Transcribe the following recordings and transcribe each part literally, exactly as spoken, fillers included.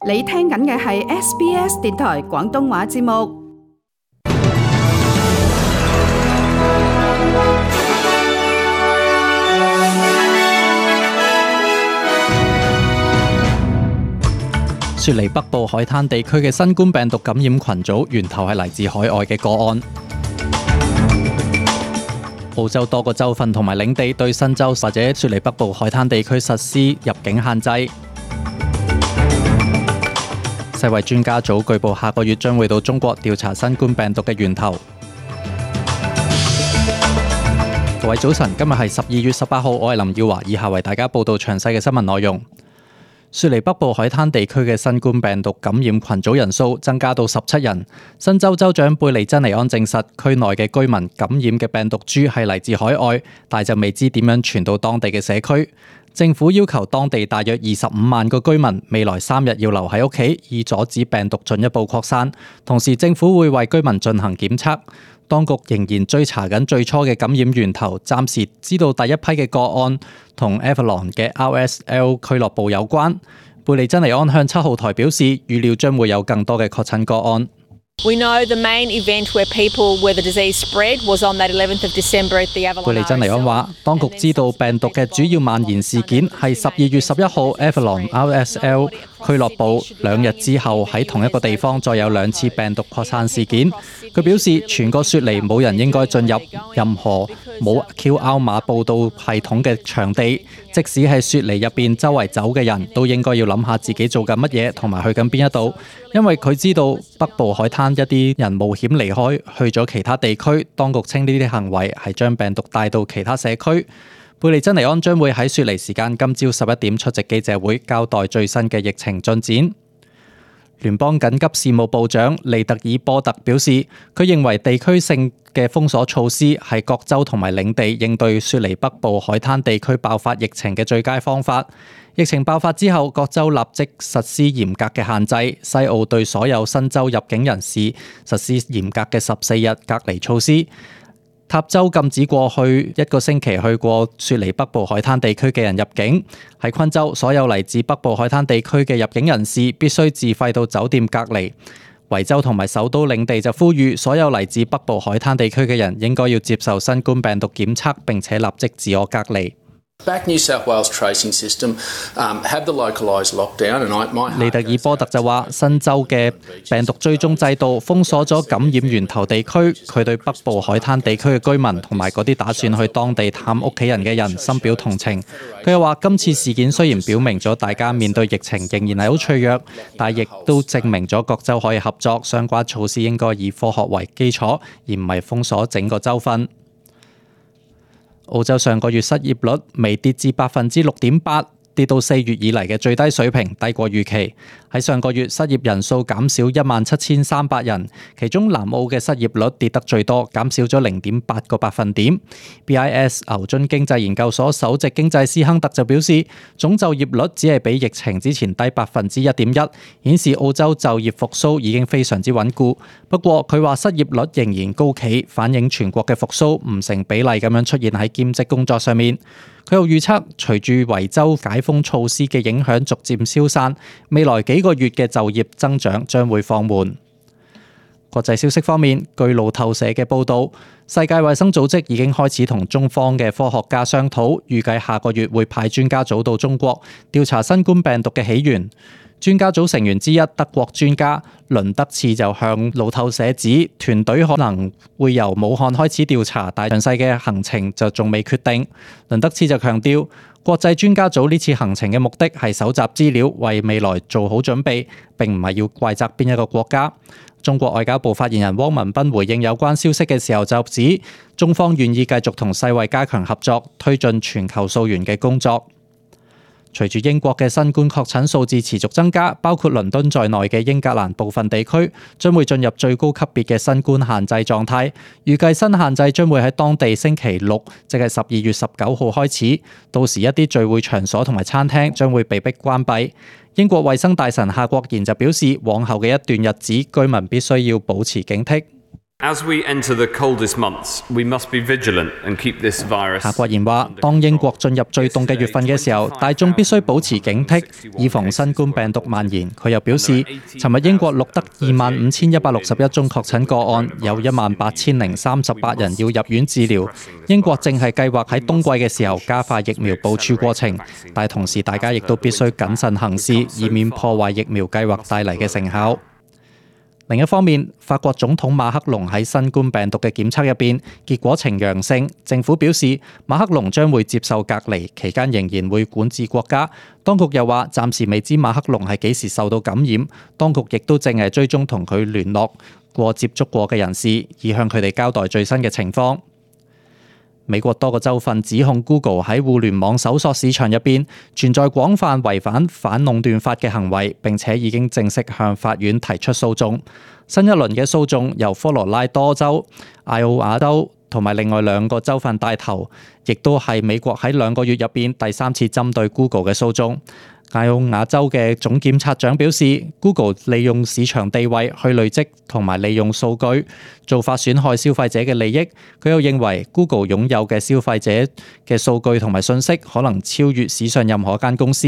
你聽緊嘅係 S B S 電台廣東話節目。雪梨北部海灘地區嘅新冠病毒感染群組源頭係嚟自海外嘅個案。澳洲多個州份同埋領地對新州或者雪梨北部海灘地區實施入境限制。世衛專家組據報下個月將會到中國調查新冠病毒嘅源頭。各位早晨，今日係十二月十八號，我係林耀華，以下為大家報道詳細嘅新聞內容。雪梨北部海灘地區嘅新冠病毒感染群組人數增加到十七人。新州州長貝利珍尼安證實，區內嘅居民感染嘅病毒株係嚟自海外，但就未知點樣傳到當地嘅社區。政府要求當地大約二十五萬個居民未來三日要留喺屋企，以阻止病毒進一步擴散。同時，政府會為居民進行檢測。當局仍然追查緊最初嘅感染源頭，暫時知道第一批嘅個案同 Avalon 嘅 R S L 俱樂部有關。貝利珍尼安向七號台表示，預料將會有更多嘅確診個案。We know the main event where people where the disease spread was on that eleventh of December at the Avalon。貝利珍尼安話，當局知道病毒嘅主要蔓延事件係十二月十一號 Avalon R S L 俱樂部，兩日之後喺同一個地方再有兩次病毒擴散事件。佢表示，全個雪梨冇人應該進入任何冇 Q R 碼報到系統嘅場地，即使係雪梨入邊周圍走嘅人都應該要諗下自己做緊乜嘢同埋去緊邊一度，因為佢知道北部海灘一啲人冒險離開去咗其他地區，當局稱呢啲行為係將病毒帶到其他社區。貝利珍尼安將會喺雪梨時間今朝十一點出席記者會，交代最新嘅疫情進展。聯邦緊急事務部長利特爾波特表示，佢認為地區性嘅封鎖措施係各州同埋領地應對雪梨北部海灘地區爆發疫情嘅最佳方法。疫情爆發之後，各州立即實施嚴格嘅限制。西澳對所有新州入境人士實施嚴格嘅十四日隔離措施。塔州禁止過去一個星期去過雪梨北部海灘地區嘅人入境。喺昆州，所有嚟自北部海灘地區嘅入境人士必須自費到酒店隔離。維州同埋首都領地就呼籲所有嚟自北部海灘地區嘅人應該要接受新冠病毒檢測，並且立即自我隔離。New South Wales tracing system, um, have the localised lockdown, and I, my 利特爾波特就話，新州嘅病毒追蹤制度封鎖咗感染源頭地區。佢對北部海灘地區嘅居民同埋嗰啲打算去當地探屋企人嘅人深表同情。佢又話，今次事件雖然表明咗大家面對疫情仍然係好脆弱，但亦都證明咗各州可以合作，相關措施應該以科學為基礎，而唔係封鎖整個州份。澳洲上個月失業率微跌至百分之六點八，跌到四月以嚟嘅最低水平，低過預期。喺上個月失業人數減少一萬七千三百人，其中南澳嘅失業率跌得最多，減少咗零點八個百分點。B I S 牛津經濟研究所首席經濟師亨特就表示，總就業率只係比疫情之前低百分之一點一，顯示澳洲就業復甦已經非常之穩固。不過佢話失業率仍然高企，反映全國嘅復甦唔成比例咁樣出現喺兼職工作上面。佢又預測，隨住維州解封措施嘅影響逐漸消散，未來幾個月嘅就業增長將會放緩。國際消息方面，據路透社嘅報導，世界衛生組織已經開始同中方嘅科學家商討，預計下個月會派專家組到中國調查新冠病毒嘅起源。專家組成員之一德國專家倫德次就向路透社指，團隊可能會由武漢開始調查，但詳細嘅行程就仲未決定。倫德次就強調，國際專家組呢次行程嘅目的係搜集資料，為未來做好準備，並唔係要怪責邊一個國家。中國外交部發言人汪文斌回應有關消息嘅時候就指，中方願意繼續同世衛加強合作，推進全球溯源嘅工作。隨住英國嘅新冠確診數字持續增加，包括倫敦在內嘅英格蘭部分地區將會進入最高級別嘅新冠限制狀態。預計新限制將會喺當地星期六，即係十二月十九號開始。到時一啲聚會場所同埋餐廳將會被迫關閉。英國衛生大臣夏國賢就表示，往後嘅一段日子，居民必須要保持警惕。As we enter the coldest months, we must be vigilant and keep this virus. 夏國賢話：當英國進入最凍嘅月份嘅時候，大眾必須保持警惕，以防新冠病毒蔓延。佢又表示，尋日英國錄得二萬五千一百六十一宗確診個案，有一萬八千零三十八人要入院治療。英國正係計劃喺冬季嘅時候加快疫苗部署過程，但同時大家亦都必須謹慎行事，以免破壞疫苗計劃帶嚟嘅成效。另一方面，法國總統馬克龍喺新冠病毒嘅檢測入邊結果呈陽性，政府表示馬克龍將會接受隔離，期間仍然會管治國家。當局又話暫時未知馬克龍係幾時受到感染，當局亦都正係追蹤同佢聯絡過接觸過嘅人士，以向佢哋交代最新嘅情況。美國多個州份指控 Google 喺互聯網搜索市場入邊存在廣泛違反反壟斷法嘅行為，並且已經正式向法院提出訴訟。新一輪嘅訴訟由科羅拉多州、艾奧瓦州同埋另外兩個州份帶頭，亦都係美國喺兩個月入邊第三次針對 Google 嘅訴訟。艾奧瓦州嘅總檢察長表示 ，Google 利用市場地位去累積同埋利用數據，做法損害消費者嘅利益。佢又認為 Google 擁有嘅消費者嘅數據同埋信息可能超越史上任何一間公司。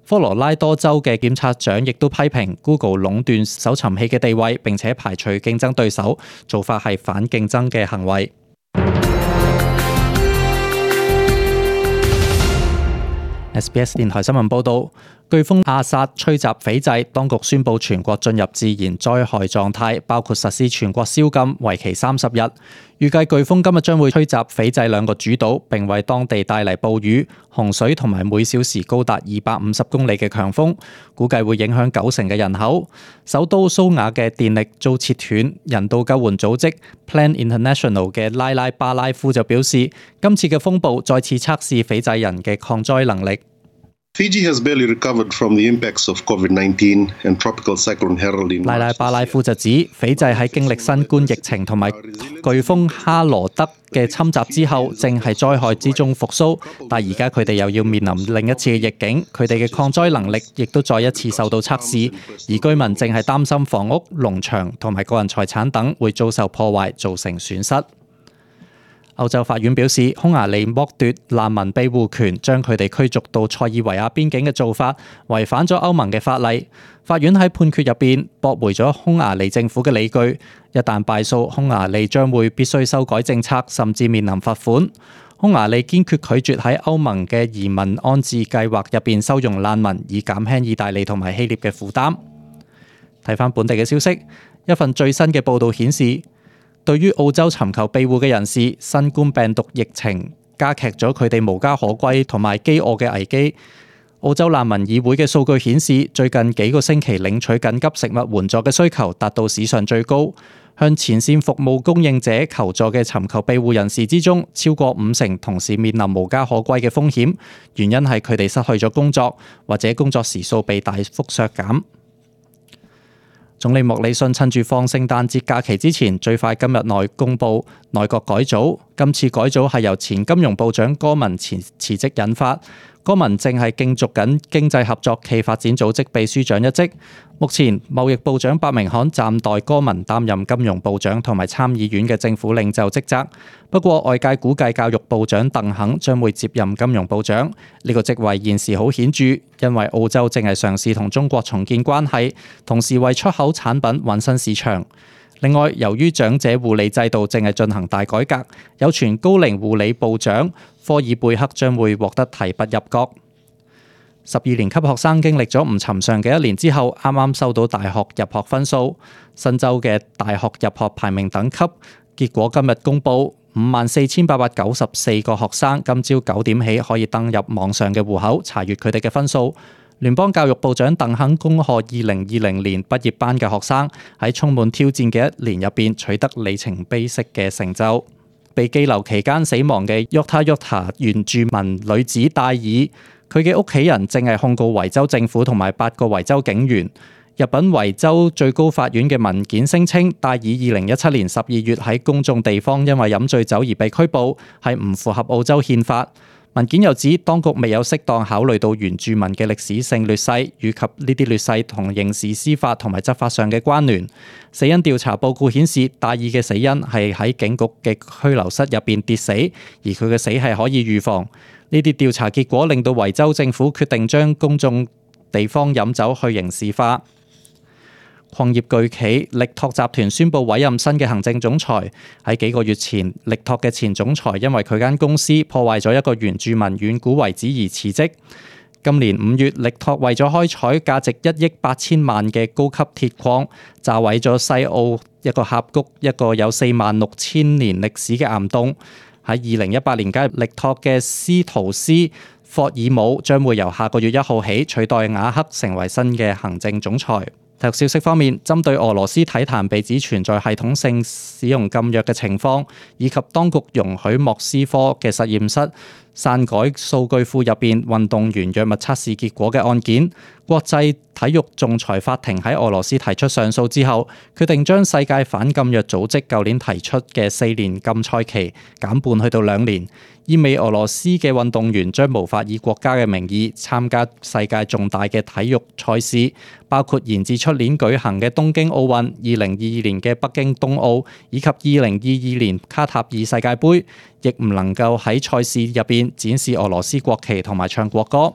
科羅拉多州嘅檢察長亦都批評 Google 壟斷搜尋器嘅地位，並且排除競爭對手，做法係反競爭嘅行為。S B S 電台新聞報導，颶風阿薩吹襲斐濟，當局宣布全國進入自然災害狀態，包括實施全國宵禁，為期三十日。預計颶風今日將會吹襲斐濟兩個主島，並為當地帶嚟暴雨、洪水同埋每小時高達二百五十公里嘅強風，估計會影響九成嘅人口。首都蘇瓦嘅電力遭切斷，人道救援組織 Plan International 嘅拉拉巴拉夫就表示，今次嘅風暴再次測試斐濟人嘅抗災能力。Fiji has barely recovered from the impacts of COVID nineteen and tropical cyclone Harold. 拉拉巴拉夫就指，斐濟喺經歷新冠疫情同埋颶風哈羅德嘅侵襲之後，正係災害之中復甦，但而家佢哋又要面臨另一次嘅逆境，佢哋嘅抗災能力亦都再一次受到測試，而居民正係擔心房屋、農場同埋個人財產等會遭受破壞，造成損失。歐洲法院表示，匈牙利剝奪難民庇護權，將佢哋驅逐到塞爾維亞邊境嘅做法，違反咗歐盟嘅法例。法院喺判決入邊駁回咗匈牙利政府嘅理據，一旦敗訴，匈牙利將會必須修改政策，甚至面臨罰款。匈牙利堅決拒絕喺歐盟嘅移民安置計劃入邊收容難民，以減輕意大利同埋希臘嘅負擔。睇返本地嘅消息，一份最新嘅報導顯示，對於澳洲尋求庇護嘅人士，新冠病毒疫情加劇咗佢哋無家可歸同埋飢餓嘅危機。澳洲難民議會嘅數據顯示，最近幾個星期領取緊急食物援助嘅需求達到史上最高。向前線服務供應者求助嘅尋求庇護人士之中，超過五成同時面臨無家可歸嘅風險，原因係佢哋失去咗工作，或者工作時數被大幅削減。總理莫里遜趁住放聖誕節假期之前，最快今日內公布內閣改組。今次改組係由前金融部長戈文辭辭職引發。戈文正係競逐緊經濟合作暨發展組織秘書長一職。目前貿易部長伯明翰暫代戈文擔任金融部長同埋參議院嘅政府領袖職責。不過外界估計教育部長鄧肯將會接任金融部長。呢個職位現時好顯著，因為澳洲正係嘗試同中國重建關係，同時為出口產品揾新市場。另外，由於長者護理制度正係進行大改革，有傳高齡護理部長科爾貝克將會獲得提拔入閣。十二年級學生經歷咗唔尋常嘅一年之後，啱啱收到大學入學分數，新州嘅大學入學排名等級結果今日公佈，五萬四千八百九十四個學生今朝九點起可以登入網上嘅戶口查閱佢哋嘅分數。聯邦教育部長鄧肯恭賀二零二零年畢業班嘅學生喺充滿挑戰嘅一年入邊取得里程碑式嘅成就。被羈留期間死亡嘅約他約他原住民女子戴爾，佢嘅屋企人正係控告維州政府同埋八個維州警員。入稟維州最高法院嘅文件聲稱，戴爾二零一七年十二月喺公眾地方因為飲醉酒而被拘捕，係唔符合澳洲憲法。文件又指，當局未有適當考慮到原住民嘅歷史性劣勢，以及呢啲劣勢同刑事司法同埋執法上嘅關聯。死因調查報告顯示，大意嘅死因係喺警局嘅拘留室入邊跌死，而佢嘅死係可以預防。呢啲調查結果令到維州政府決定將公眾地方飲酒去刑事化。礦業巨企力拓集團宣布委任新嘅行政總裁。喺幾個月前，力拓嘅前總裁因為佢間公司破壞咗一個原住民遠古遺址而辭職。今年五月，力拓為咗開採價值一億八千萬嘅高級鐵礦，炸毀咗西澳一個峽谷，一個有四萬六千年歷史嘅岩洞。喺二零一八年加入力拓嘅斯圖斯霍爾姆將會由下個月一號起取代瓦克成為新嘅行政總裁。體育消息方面，針對俄羅斯體壇被指存在系統性使用禁藥嘅情況，以及當局容許莫斯科嘅實驗室篡改數據庫入邊運動員藥物測試結果嘅案件，國際體育仲裁法庭喺俄羅斯提出上訴之後，決定將世界反禁藥組織舊年提出嘅四年禁賽期減半去到兩年，意味俄羅斯嘅運動員將無法以國家嘅名義參加世界重大嘅體育賽事，包括延至出年舉行嘅東京奧運、二零二二年嘅北京冬奧以及二零二二年卡塔爾世界盃，亦唔能夠喺賽事入邊展示俄羅斯國旗同埋唱國歌。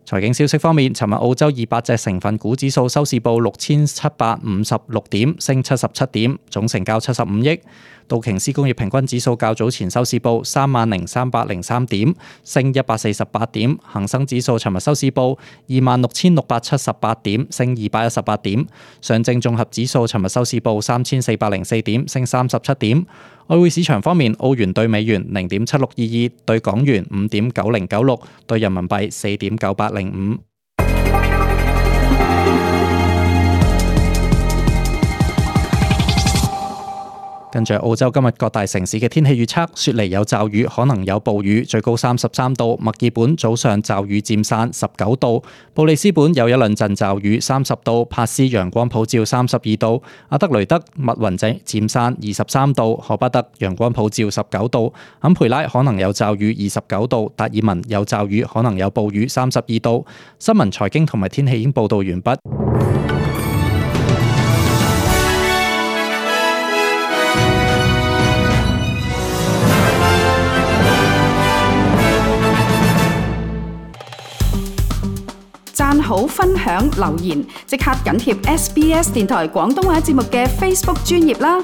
財經消息方面，尋日澳洲二百隻成分股指數收市報六千七百五十六點，升七十七點，總成交七十五億。道瓊斯工業平均指數較早前收市報三萬零三百零三點，升一百四十八點。恒生指數尋日收市報二萬六千六百七十八點，升二百一十八點。上證綜合指數尋日收市報三千四百零四點，升三十七點。外匯市場方面，澳元對美元零點七六二二，對港元五點九零九六，對人民幣四點九八零五。跟住澳洲今日各大城市嘅天氣預測：雪梨有驟雨，可能有暴雨，最高三十三度；墨爾本早上驟雨漸散，十九度；布里斯本有一兩陣驟雨，三十度；帕斯陽光普照，三十二度；阿德雷德密雲漸漸散，二十三度；荷巴特陽光普照，十九度；坎培拉可能有驟雨，二十九度；達爾文有驟雨，可能有暴雨，三十二度。新聞、財經同埋天氣已經報道完畢。讚好、分享、留言，即刻緊貼 S B S 電台廣東話節目嘅 Facebook 專頁啦！